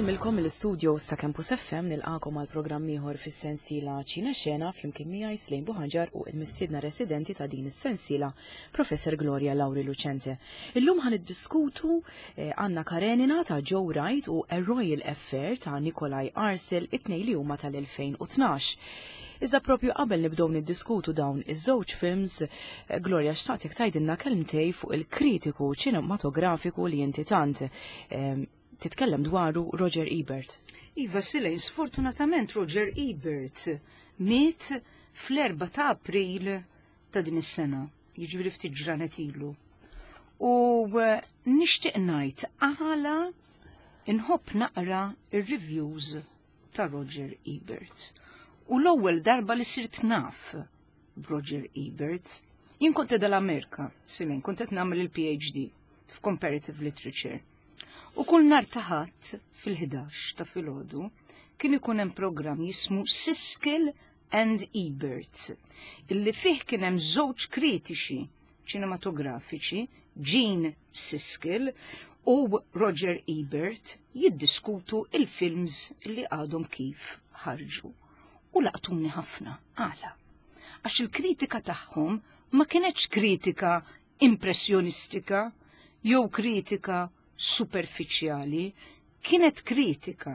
Insellmilkom mill-istudio sa Campus FM, nilqakom għal programm ieħor fis-sensiela Ċina Xena flimkien miegħi Slejn Buħanġar u l-mistiedna residenti ta' din is-sensiela, Professor Gloria Lauri Lucente. Illum ħan iddiskutu Anna Karenina ta' Joe Wright u A Royal Affair ta' Nikolaj Arcel, it-tnejn li huma tal-2012. Iżda propju qabel nibdew niddiskutu dawn iż-żewġ films, Gloria, xtaqtek tgħidilna kelmtej fuq il-kritiku ċinematografiku li inti tant titkellem dwaru, Roger Ebert. Iva Silej, sfortunatament Roger Ebert miet fl-4 ta' April ta' din is-sena, jiġifieri ftit ġranet ilu. U nixtieq ngħid għala inħobb naqra ir-reviews ta' Roger Ebert. U l-ewwel darba li sirt naf b'Roger Ebert, jien kont dal-Amerika, Silin, kont qed nagħmel il-PhD f'Comparative Literature. U kull nhar ta' Ħadd fil-11 ta' filgħodu kien ikun hemm programm jismu Siskel and Ebert, illi fih kien hemm żewġ kritiċi ċinematografiċi, Gene Siskel u Roger Ebert, jiddiskutu il-films li għadhom kif ħarġu. U laqtuni ħafna. Għala? Għax il-kritika tagħhom ma kienetx kritika impressjonistika jew kritika superfiċjali, kienet kritika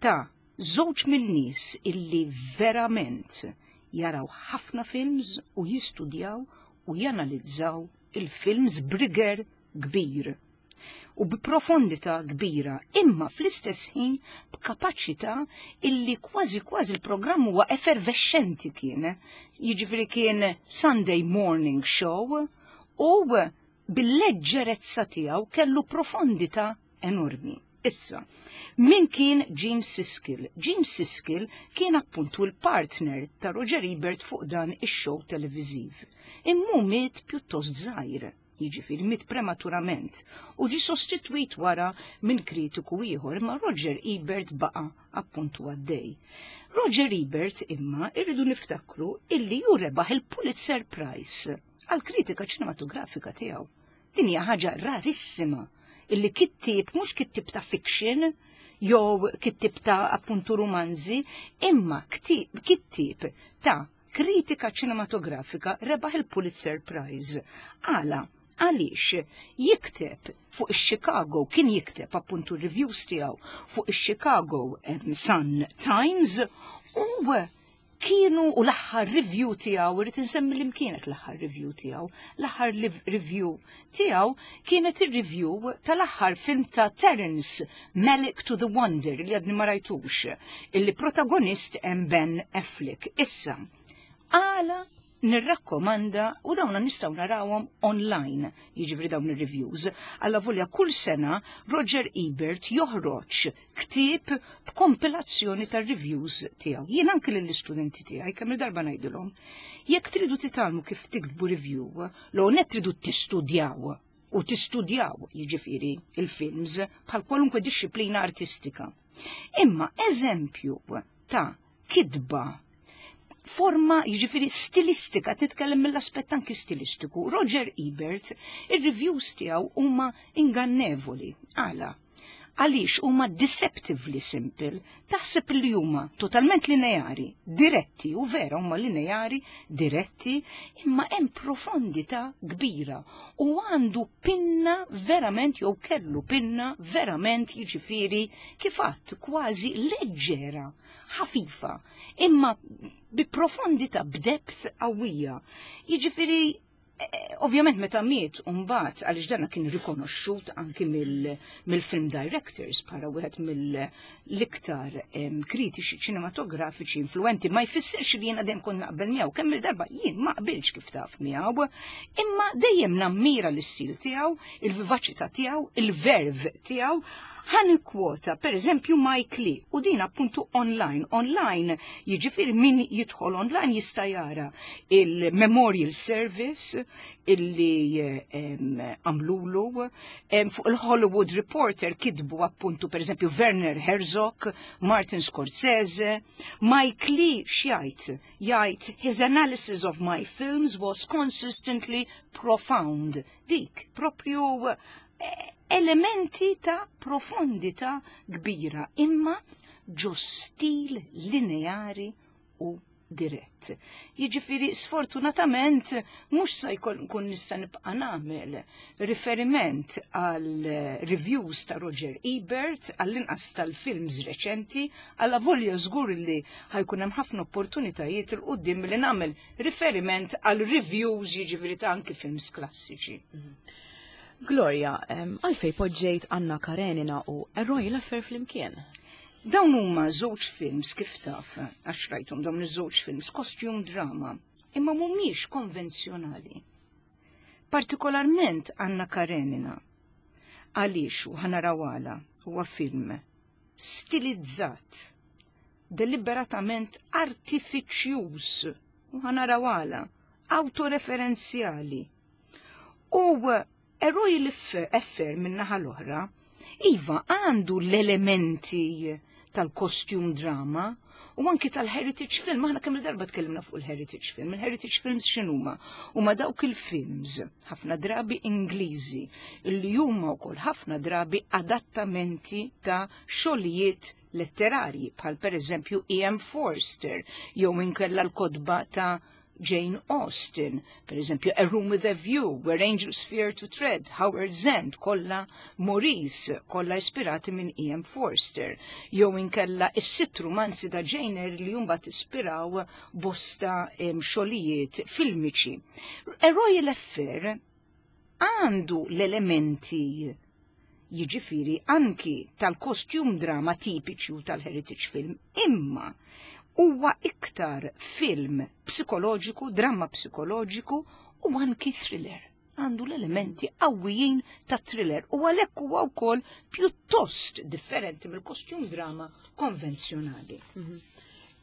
ta' żewġ min-nies illi verament jaraw ħafna films u jistudjaw u janalizzaw il-films b'rigor kbir u b'profondità kbira, imma fl-istess ħin b'kapaċità illi kważi kważi l-programm huwa effervescenti kien. Jiġifieri kien Sunday morning show u bil-leġġerezza tiegħu kellu profondità enormi. Issa, min kien Gene Siskel? Gene Siskel kien appuntu l-partner ta' Roger Ebert fuq dan ix-show televiżiv. Immu miet pjuttost żgħir, jiġifieri miet prematurament, u ġi sostitwit wara minn kritiku ieħor, imma Roger Ebert baqa' appuntu għaddej. Roger Ebert imma irridu niftakru illi hu rebaħ il-Pulitzer Prize għal kritika ċinematografika tiegħu. Din hija ħaġa rarissima illi kittieb, mhux kittieb ta' fiction jew kittieb ta' appuntu romanzi, imma kittieb ta' kritika ċinematografika rebaħ il-Pulitzer Prize. Għala? Għaliex jikteb fuq ix-Chicago, kien jikteb appuntu reviews tiegħu fuq ix-Chicago Sun Times u kienu u l-aħħar review tiegħu, irrid insemmi li kienet l-aħħar review tiegħu. L-aħħar review tiegħu kienet ir-review tal-aħħar film ta' Terence Malick to the Wonder li għadni ma rajtux, illi protagonist hemm Ben Affleck. Issa, għala nirrakkomanda u dawna nistgħu narawhom online, jiġifieri dawn ir-reviews. Alla volja kull sena Roger Ebert joħroġ ktieb b'kompilazzjoni tar-reviews tiegħu. Jien anke lill-istudenti tiegħi kemm il-darba ngħidilhom, jekk tridu titgħallmu kif tiktbu review, l net tridu tistudjaw u tistudjaw jiġifieri il-films bħal kwalunkwe dixxiplina artistika. Imma eżempju ta' kitba forma jiġifieri stilistika, titkellem mill-aspett anki stilistiku. Roger Ebert, ir-reviews tiegħu huma ingannevoli. Għala? Għaliex huma deceptively simple, taħseb li huma totalment lineari, diretti, u vera huma lineari, diretti, imma hemm profondità kbira u għandu pinna verament jew kellu pinna verament jiġifieri kif għadt kważi leġġera, ħafifa, imma bi profondità, b'depth qawwija. Jiġifieri eh, ovvjament meta miet mbagħad għaliex dana kien rikonoxxut anki mill-film directors bħala wieħed mill-iktar kritiċi ċinematografiċi influenti, ma jfissirx li jiena dejjem kont naqbel miegħu, kemm il-darba jien ma qbilx kif taf miegħu, imma dejjem nammira l-istil tiegħu, il-vivaċità tiegħu, il-verve tiegħu. Ħa nikkwota, per eżempju, Mike Lee, u din appuntu online. Online, jiġifieri min jidħol online jista' jara il-Memorial Service illi għamlulu, fuq il-Hollywood Reporter kitbu appuntu per eżempju Werner Herzog, Martin Scorsese. Mike Lee x'jgħid? Jgħid, "His analysis of my films was consistently profound." Dik, propju. Elementi ta' profondità kbira, imma ġo stil lineari u dirett. Jiġifieri sfortunatament mhux se jkun nista' nibqa' nagħmel riferiment għal reviews ta' Roger Ebert għall-inqas tal-films reċenti, għalla volja żgur li ħa jkun hemm ħafna opportunitajiet 'il quddiem li nagħmel riferiment għal reviews, jiġifieri ta' anki films klassiċi. Gloria, għalfej poġġejt Anna Karenina u A Royal Affair flimkien? Dawn huma żewġ films, kif taf, għax rajthom dawn iż-żewġ films, costume drama, imma mhumiex konvenzjonali. Partikolarment Anna Karenina. Għaliex, u ħa naraw għala, huwa film stilizzat, deliberatament artifiċjuż, u ħa naraw għala, autoreferenzjali. U A Royal Affair min-naħa l-oħra, iva, għandu l-elementi tal-costume drama u anki tal-heritage film. Aħna kemm darba tkellimna fuq il-heritage film. Il-heritage films x'inhuma? Huma dawk il-films, ħafna drabi Ingliżi, li huma wkoll ħafna drabi adattamenti ta' xogħlijiet letterarji, bħal pereżempju E.M. Forster, jew inkella l-kotba ta' Jane Austen, per eżempju A Room with a View, Where Angels Fear to Tread, Howard's End, kollha Maurice, kollha ispirati minn E.M. Forster, jew inkella is-sitt romanzi ta' Jane Eyre li mbagħad ispiraw bosta xogħlijiet filmiċi. A Royal Affair għandu l-elementi, jiġifieri, anki tal-costume drama tipiċi u tal-heritage film, imma huwa iktar film psikoloġiku, dramma psikoloġiku u anki thriller. Għandu l-elementi qawwijin ta' thriller u għalhekk huwa wkoll pjuttost differenti mill-costume drama konvenzjonali.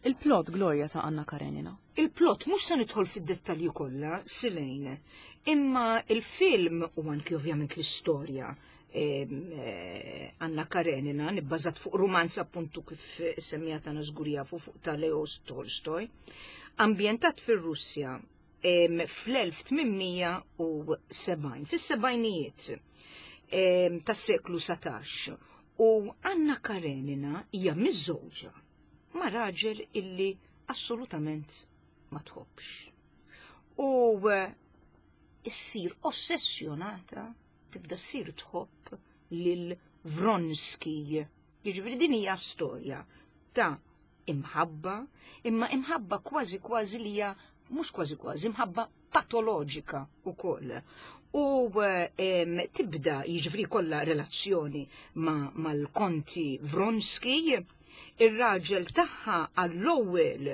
Il-plot, Gloria, ta' Anna Karenina. Il-plot mhux se nidħol fid-dettalji kollha, Silejn, imma il-film u anki ovvjament l-istorja Anna Karenina nibbażat fuq romanz, appuntu kif semmija ta' żgur jafu fuq, ta' Leo Tolstoj, ambjentat fir-Russja fl-1870, fis-sebgħinijiet tas-seklu 17. U Anna Karenina hija miżżewġa ma' raġel illi assolutament ma tħobbx. U issir ossessjonata, tibda ssir tħobb lil Vronski. Jiġifieri din hija storja ta' imħabba, imma imħabba kważi kważi li hija, mhux kważi kważi, imħabba patoloġika wkoll. U tibda, jiġifieri kollha relazzjoni mal-konti Vronski, ir-raġel tagħha għall-ewwel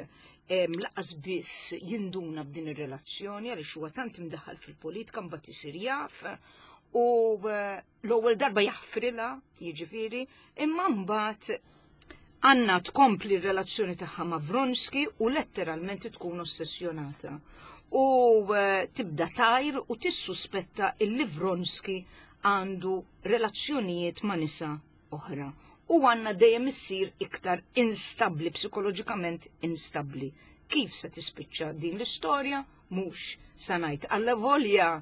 lanqas biss jinduna b'din ir-relazzjoni għaliex huwa tant imdaħħal fil-politika, mbagħad isir jaf u l-ewwel darba jaħfrilha, jiġifieri, imma mbagħad Anna tkompli r-relazzjoni tagħha ma' Vronski u letteralment tkun ossessjonata. U tibda tajr u tissuspetta illi Vronski għandu relazzjonijiet ma' nisa oħra. U Anna dejjem issir iktar instabli, psikoloġikament instabli. Kif se tispiċċa din l-istorja? Mhux sa ngħid. Alla volja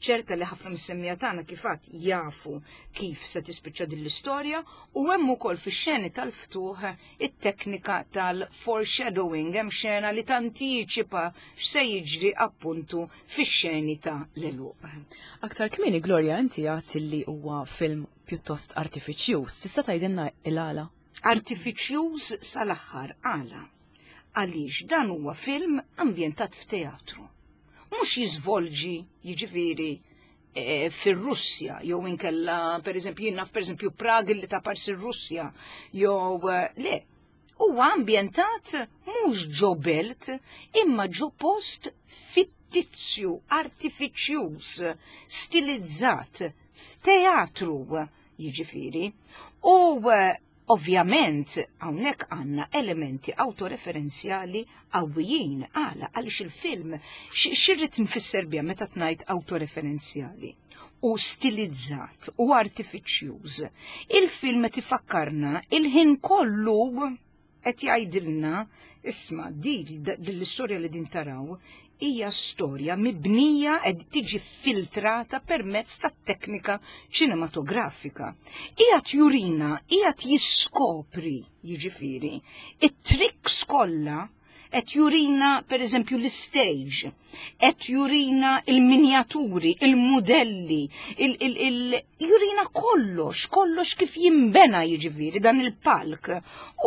ċerta li ħafna mis-semmiegħa tagħna kif għad jafu kif se tispiċċa din l-istorja, u hemm ukoll fix-xeni tal-ftuħ it-teknika tal-foreshadowing, hemm xena li tantiċipa x'se jiġri appuntu fix-xeni ta' l-għeluq. Aktar kmieni, Gloria, inti għedt li huwa film pjuttost artifiċjuż. Tista' tgħidilna il-għala? Artifiċjuż sal-aħħar, għala? Għaliex dan huwa film ambjentat f'teatru. Mhux jiżvolġi, jiġifieri, fir-Russja jew inkella pereżempju jien naf pereżempju Prag li ta' parsi r-Russja jew le. Huwa ambjentat mhux ġo belt imma ġo post fittizju, artifiċjuż, stilizzat f'teatru, jiġifieri. U ovvjament hawnhekk għandna elementi autoreferenzjali qawwijin. Għala? Għaliex il-film, x'irrid nfisser biha meta tnajt autoreferenzjali u stilizzat u artifiċjuż? Il-film qed ifakkarna il-ħin kollu, qed jgħidilna, isma', di l-istorja li din taraw. hija storja mibnija qed tiġi filtrata permezz tat-teknika ċinematografika. Qiegħed jurina, qiegħed jiskopri, jiġifieri, it-tricks kollha qed jurina pereżempju l-istage, qed jurina il-minjaturi, il-mudelli, il jurina kollox, kollox kif jimbena jiġifieri dan il-palk.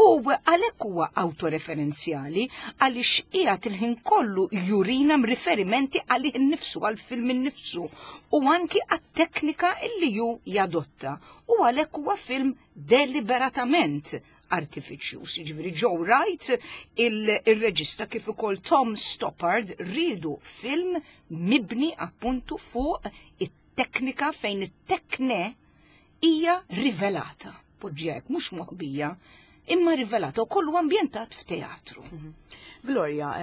U għalhekk huwa autoreferenzjali għaliex qiegħed il-ħin kollu jurina riferimenti għalih innifsu, għall-film innifsu u anki għat-teknika illi ju jadotta. U għalhekk huwa film deliberatament artifiċjuż. Jiġifieri Joe Wright, il-reġista kif ukoll Tom Stoppard riedu film mibni appuntu fuq it-teknika fejn it-tekne hija rivelata. Poġġi hekk mhux moħbija, imma rivelata u kollu ambjentat f'teatru. Gloria,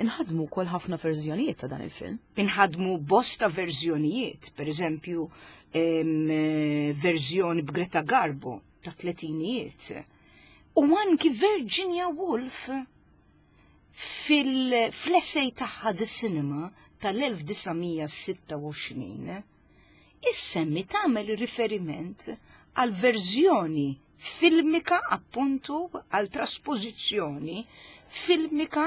inħadmu wkoll ħafna verżjonijiet ta' dan il-film. Inħadmu bosta verżjonijiet, per eżempju, verżjoni b'Greta Garbo ta' tletinijiet. U anki Virginia Woolf fil-essay tagħha The Cinema tal-1926 issemmi tagħmel riferiment għal verżjoni filmika appuntu għal traspożizzjoni filmika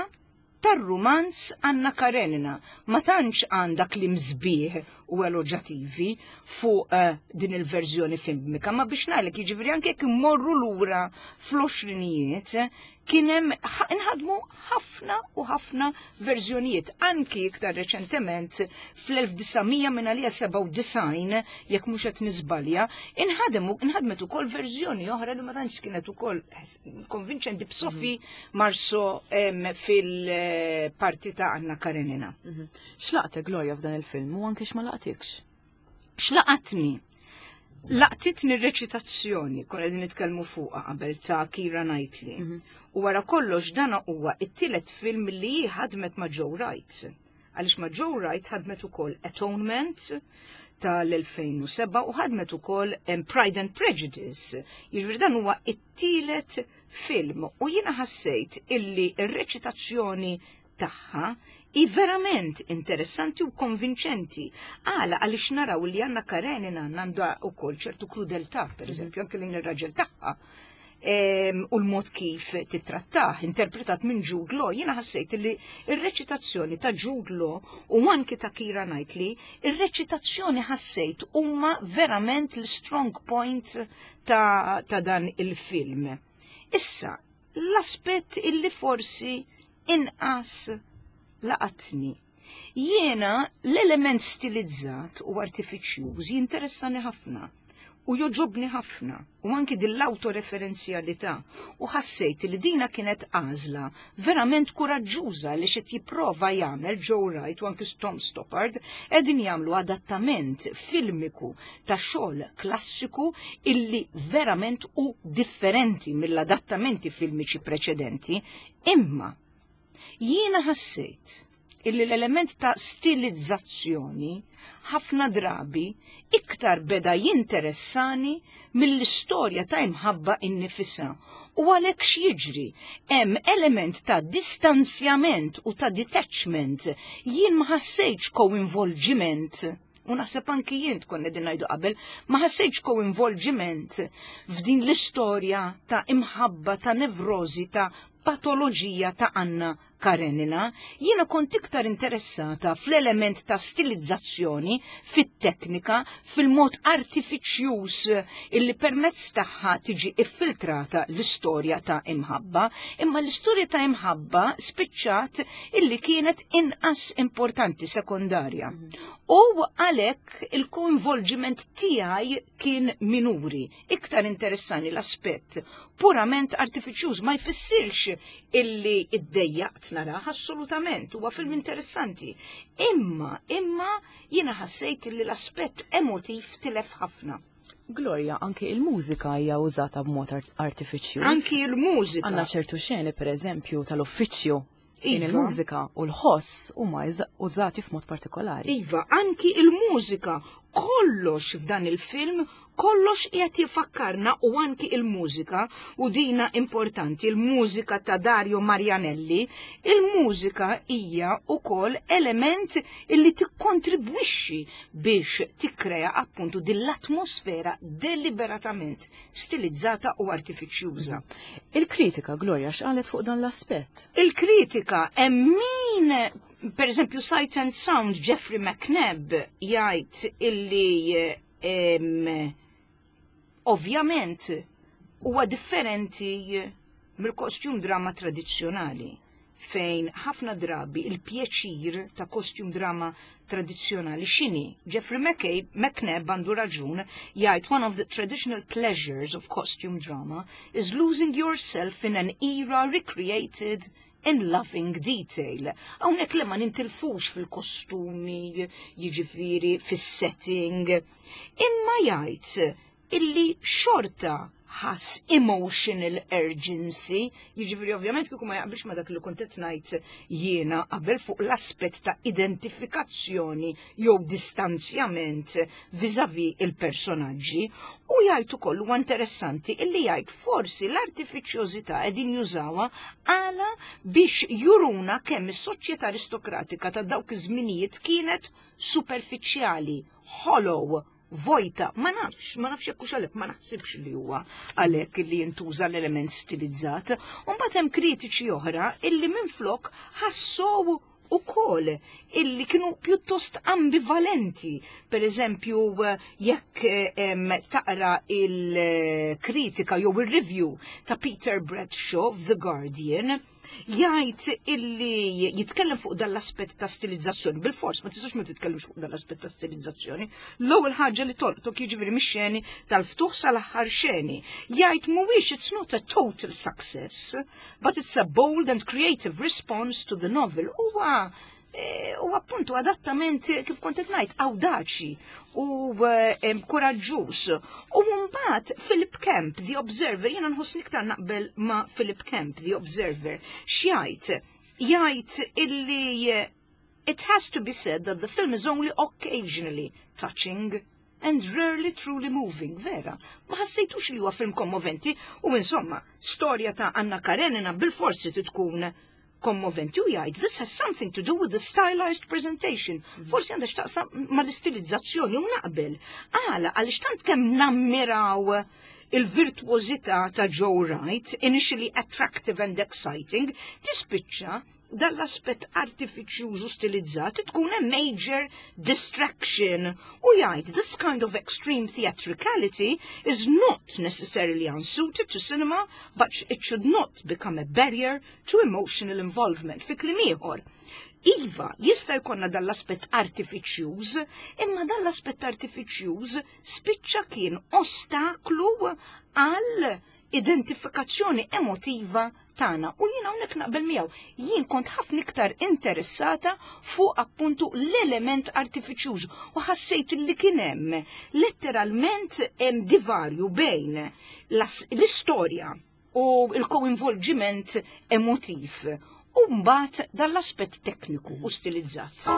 tar-rumanz Anna Karenina. Ma tantx għandha kliem sbieħ u eloġativi fuq din il-verżjoni filmika, ma biex ngħidlek jiġifieri anke jekk immorru lura fl-għoxrinijiet kien hemm inħadmu ħafna u ħafna verżjonijiet, anki iktar reċentement fl-1900 minn għalija 97, jekk mhux qed niżbalja, inħadmet ukoll verżjoni oħra li ma tantx kienet ukoll konvinċenti b'Sophie Marceau fil-parti ta' Anna Karenina. X'laqtek, Gloria, f'dan il-film u anke x'ma laqtikx? X'laqatni? Laqtitni r-reċitazzjoni, konna qegħdin nitkellmu fuqha qabel ta' Keira Knightley. U wara kollox dan huwa it-tielet film li hi ħadmet ma' Joe Wright. Għaliex ma' Joe Wright ħadmet ukoll Atonement tal-2007 u ħadmet ukoll Pride and Prejudice. Jiġifieri dan huwa it-tielet film u jiena ħassejt illi r-reċitazzjoni tagħha hi verament interessanti u konvinċenti. Għala għaliex naraw li Anna Karenina għandha wkoll ċertu krudeltà, per eżempju, anke lejn ir-raġel tagħha. U l-mod kif titrattah, interpretat minn Jude Law, jiena ħassejt li ir-reċitazzjoni ta' Jude Law u anki ta' Keira Knightley, ir-reċitazzjoni ħassejt huma verament l-strong point ta dan il-film. Issa, l-aspett illi forsi inqas laqatni. Jiena l-element stilizzat u artifiċjuż jinteressani ħafna u joġobni ħafna u anki dill-autoreferenzjalità u ħassejt li dina kienet għażla verament kuraġġuża li xed jipprova jagħmel Joe Wright u anki Tom Stoppard qegħdin jagħmlu adattament filmiku ta' xogħol klassiku illi verament u differenti mill-adattamenti filmiċi preċedenti, imma jiena ħassejt illi l-element ta' stilizzazzjoni ħafna drabi iktar beda jinteressani mill-istorja ta' imħabba innifisha. U għalhekk x'jiġri? Hemm element ta' distanzjament u ta' detachment. Jien ma ħassejtx koinvolġiment. U naħseb anki jien tkun qegħdin ngħidu qabel, ma ħassejtx koinvolġiment f'din l-istorja ta' imħabba, ta' nevrożi, ta' patoloġija ta' Anna Karenina. Jiena kont iktar interessata fl-element ta' stilizzazzjoni, fit-teknika, fil-mod artifiċjuż illi permezz tagħha tiġi iffiltrata l-istorja ta' imħabba, imma l-istorja ta' imħabba spiċċat illi kienet inqas importanti, sekondarja. U għalhekk il-koinvolġiment tiegħi kien minuri. Iktar interessani l-aspett purament artifiċjuż, ma jfissirx illi iddejjaqt narah, assolutament, huwa film interessanti. Imma jiena ħassejt illi l-aspett emotiv tilef ħafna. Gloria, anki il-mużika hija użata b'mod artifiċjuż. Anki il-mużika. Għandna ċertu xeni, per eżempju, tal-uffiċċju. Din il-mużika u l-ħoss huma użati f'mod partikolari. Iva, anki il-mużika, kollox f'dan il-film, Kollox qiegħed jifakkarna u anki il-mużika, u dina importanti, il-mużika ta' Dario Marianelli, il-mużika hija wkoll element illi tikkontribwixxi biex tikkrea appuntu din l-atmosfera deliberatament stilizzata u artifiċjuża. Il-kritika, Gloria, x'qalet fuq dan l-aspett? Il-kritika hemm min, per eżempju, Sight and Sound, Jeffrey McNabb jgħid illi ovvjament huwa differenti mill-costume drama tradizzjonali, fejn ħafna drabi il-pjaċir ta' costume drama tradizzjonali x'inhi? Jeffrey McNabb għandu raġun jgħid, "One of the traditional pleasures of costume drama is losing yourself in an era recreated in loving detail." Hawnhekk li ma nintilfux fil-kostumi, jiġifieri fis-setting. Imma jgħid illi xorta ħass emotional urgency, jiġifieri ovvjament kieku ma jaqbilx ma dak li kont qed ngħid jiena qabel fuq l-aspett ta' identifikazzjoni jew distanzjament vis-a-vis il-personaġġi, u jgħid ukoll, huwa interessanti illi jgħid forsi l-artifiċjożità qegħdin jużawha għala biex juruna kemm is-soċjetà aristokratika ta' dawk iż-żminijiet kienet superfiċjali, hollow, vojta. Ma nafx, ma nafx jekk hux għalhekk, ma naħsibx li huwa għalhekk li jintuża l-element stilizzat. U mbagħad hemm kritiċi oħra illi minflok ħassow ukoll illi kienu pjuttost ambivalenti. Per eżempju, jekk taqra il-kritika jew il-review ta' Peter Bradshaw The Guardian, jgħid illi jitkellem fuq dan l-aspett ta' stilizzazzjoni. Bil-fors, ma tistax ma titkellimx fuq dan l-aspett ta' stilizzazzjoni. L-ewwel ħaġa li tolqtok, jiġifieri mix-xeni tal-ftuħ sal-aħħar xeni. Jgħid mhuwiex, "It's not a total success, but it's a bold and creative response to the novel." Huwa u appuntu adattament, kif kont qed ngħid, awdaċi u kuraġġuż. U mbagħad Philip Kemp, The Observer, jiena nħoss iktar naqbel ma' Philip Kemp, The Observer, x'jgħid? Jgħid illi "It has to be said that the film is only occasionally touching and rarely truly moving." Vera, ma ħassejtux li huwa film kommoventi u insomma, storja ta' Anna Karenina bil-forsi tkun kommoventi, u jgħid, "This has something to do with the stylized presentation." Forsi għandha x'taqsam mal-istilizzazzjoni u naqbel. Għala, għaliex tant kemm nammiraw il-virtuosità ta' Joe Wright, initially attractive and exciting, tispiċċa dal-aspett artifiċjuż u stilizzat tkun a major distraction. U jgħid, "This kind of extreme theatricality is not necessarily unsuited to cinema, but it should not become a barrier to emotional involvement." Fi kliem ieħor, iva, jista' jkollna dal-aspett artifiċjuż, imma dal-aspett artifiċjuż spiċċa kien ostaklu għal identifikazzjoni emotiva tagħna u jiena hawnhekk naqbel miegħu. Jien kont ħafna iktar interessata fuq appuntu l-element artifiċjuż u ħassejt li kien hemm letteralment hemm divarju bejn l-istorja u l-koinvolġiment emotiv u mbagħad dal-aspett tekniku u stilizzat.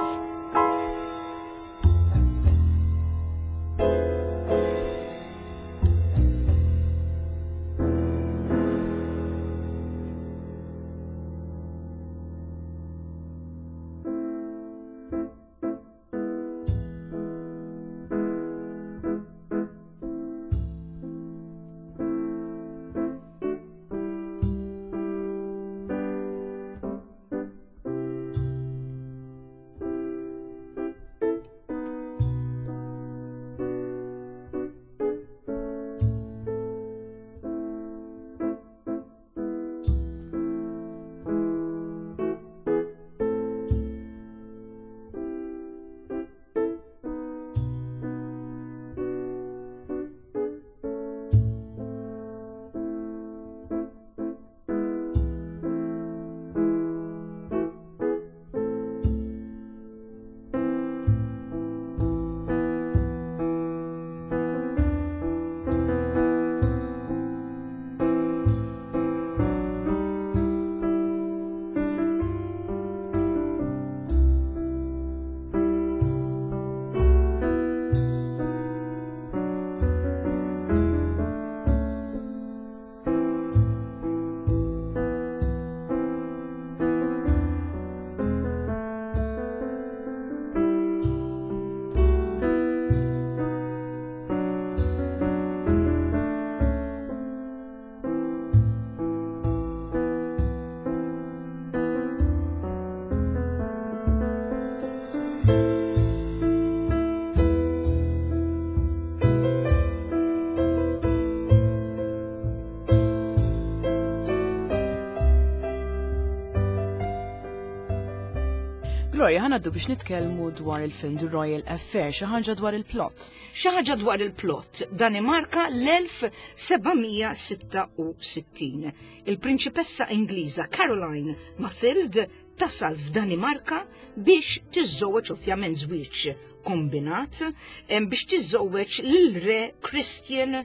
Gloria, ħa ngħaddu biex nitkellmu dwar il-film The Royal Affair, xi ħaġa dwar il-plot. Xi ħaġa dwar il-plot, Danimarka l-1766. Il-prinċipessa Ingliża Caroline Mathilde tasal f'Danimarka biex tiżżewweġ ovvjament żwieġ kombinat biex tiżżewweġ lil re Christian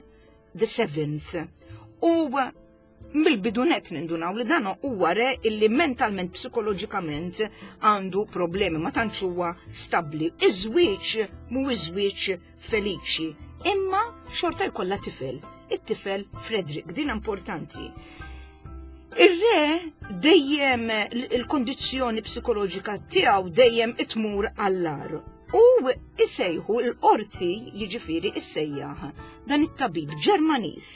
the Seventh. U mill-bidu net nindunaw li dan huwa re illi mentalment, psikoloġikament għandu problemi, ma tantx huwa stabbli. Iż-żwieġ mhuwiex żwieġ feliċi, imma xorta jkollha tifel, it-tifel Frederick, din importanti. Ir-re dejjem il-kondizzjoni psikoloġika tiegħu dejjem itmur għall-ar. U isejħu l-qorti jiġifieri issejjaħ dan it-tabib Ġermaniż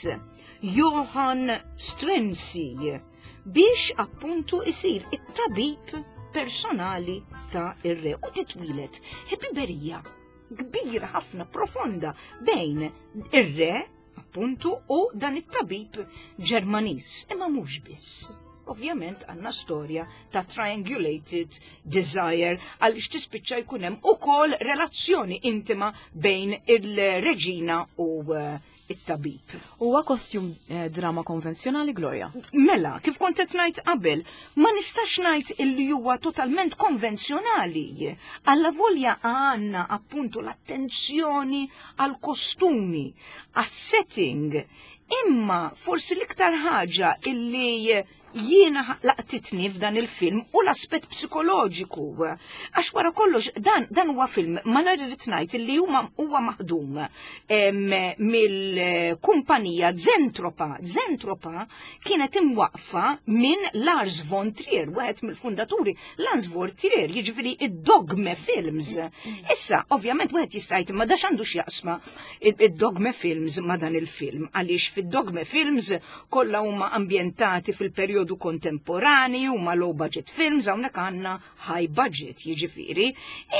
Johann Struensee biex appuntu isir it-tabib personali ta' ir-re u titwilet ħbiberija kbira ħafna profonda bejn ir-re appuntu u dan it-tabib Ġermaniż imma mhux biss. Ovvjament għandna storja ta' triangulated desire għaliex tispiċċa jkun hemm ukoll relazzjoni intima bejn il-reġina u eh, it-tabib. Huwa kostjum eh, drama konvenzjonali, Gloria? Mela, kif kont qed ngħid qabel, ma nistax ngħid illi huwa totalment konvenzjonali. Alla volja għandna appuntu l-attenzjoni għal kostumi, għas-setting, imma forsi l-iktar ħaġa illi jiena laqtitni f'dan il-film u l-aspett psikoloġiku. Għax wara kollox dan dan huwa film malar irrid ngħid li huma huwa maħdum mill-kumpanija Zentropa. Zentropa kienet imwaqfa minn Lars von Trier, wieħed mill-fundaturi Lars von Trier, jiġifieri id-Dogme Films. Issa, ovvjament wieħed jista' jgħid imma dax għandu x'jaqsma id-Dogme Films ma' dan il-film, għaliex fid-Dogme Films kollha huma ambjentati fil-perjodu kontemporanju, huma low budget films, hawnhekk għandna high budget jiġifieri,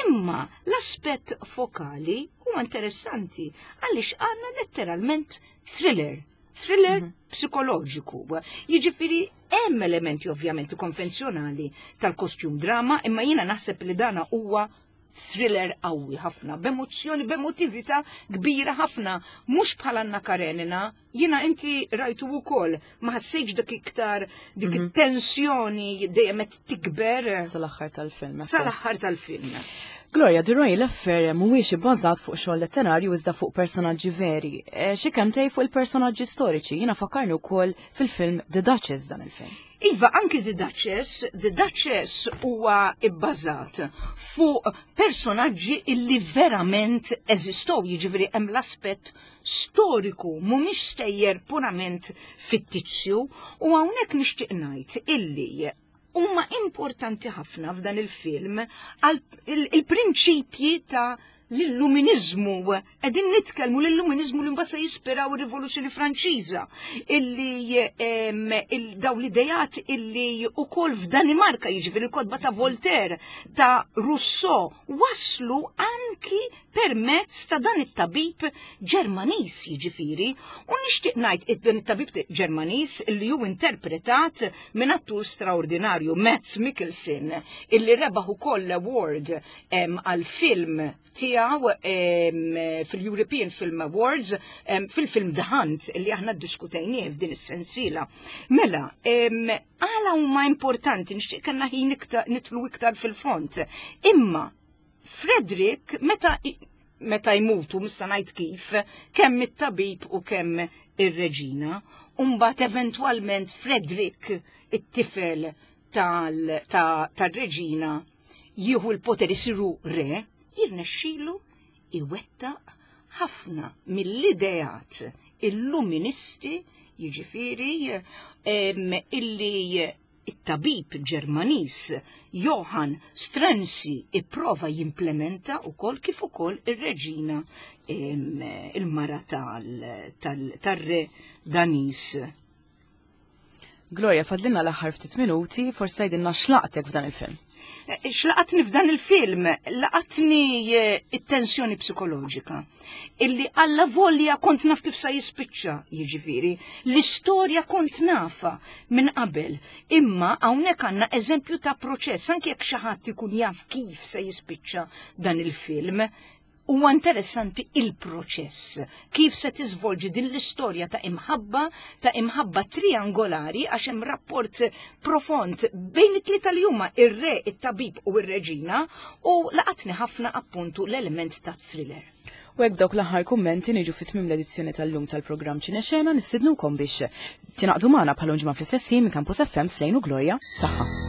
imma l-aspett fokali huwa interessanti għaliex għandna letteralment thriller, thriller mm -hmm. psikoloġiku. Jiġifieri hemm elementi ovvjament konvenzjonali tal-kostjum drama, imma jiena naħseb li dana huwa thriller qawwi ħafna, b'emozzjoni, b'emotività kbira ħafna, mhux bħal Anna Karenina, jiena inti rajtu wkoll, ma ħassejtx dik iktar dik mhm. it-tensjoni dejjem qed tikber. Sal-aħħar tal-film. Sal-aħħar tal-film. Gloria, The Royal Affair mhuwiex ibbażat fuq xogħol letterarju iżda fuq personaġġi veri. E, xi kemm tgħid fuq il-personaġġi storiċi, jiena fakkarni wkoll fil-film The Duchess dan il-film. Iva, anki The Duchess, The Duchess huwa ibbażat fuq personaġġi illi verament eżistow, jiġifieri hemm l-aspett storiku, mhumiex stejjer purament fittizju, u hawnhekk nixtieq ngħid illi huma importanti ħafna f'dan il-film għal il-prinċipji ta' l-illuminizmu, qegħdin nitkellmu l-illuminizmu li mbagħad se jispiraw ir-Rivoluzzjoni Franċiża, illi daw l-idejat illi ukoll f'Danimarka jiġifieri l-kotba ta' Voltaire, ta' Rousseau, waslu anki permezz ta' dan it-tabib Ġermaniż jiġifieri, u nixtieq ngħid dan it-tabib Ġermaniż li hu interpretat minn attur straordinarju Mads Mikkelsen illi rebaħ ukoll award għal film tiegħu fil-European Film Awards fil-film The Hunt li aħna ddiskutejnieh f'din is-sensiela. Mela, għala huma importanti nixtieq kellna ħin nitlu iktar fil-font. Imma Frederick meta meta jmutu missa ngħid kif, kemm it-tabib u kemm ir-reġina, u mbagħad eventwalment Frederick it-tifel tal-reġina jieħu l-poter isiru re, jirnexxilu iwettaq ħafna mill-ideat illuministi, jiġifieri illi it-tabib Ġermaniż Johann Struensee ipprova jimplementa wkoll kif ukoll ir-reġina il-mara tal-re Daniż. Gloria, fadlinna l-aħħar ftit minuti, forsi tgħidilna x'laqtek f'dan il-film. Eh, x'laqatni f'dan il-film? Laqatni eh, it-tensjoni psikoloġika. Illi alla volja kont naf kif sa jispiċċa, jiġifieri. L-istorja kont nafa minn qabel. Imma hawnhekk għandna eżempju ta' proċess, anke jekk xi ħadd ikun jaf kif se jispiċċa dan il-film, Huwa interessanti il-proċess, kif se tiżvolġi din l-istorja ta' imħabba, ta' imħabba triangolari għax hemm rapport profond bejn it-tlieta li huma ir-re, it-tabib u r-reġina u laqatni ħafna appuntu l-element ta' thriller. U hekk dawk l-aħħar kummenti niġu fi tmiem l-edizzjoni tal-lum tal-programm Ċinexena nistidnukom biex tingħaqdu magħna bħal ġimgħa fl-istess ħin minn Campus FM Slejn u Gloria. Saħħa.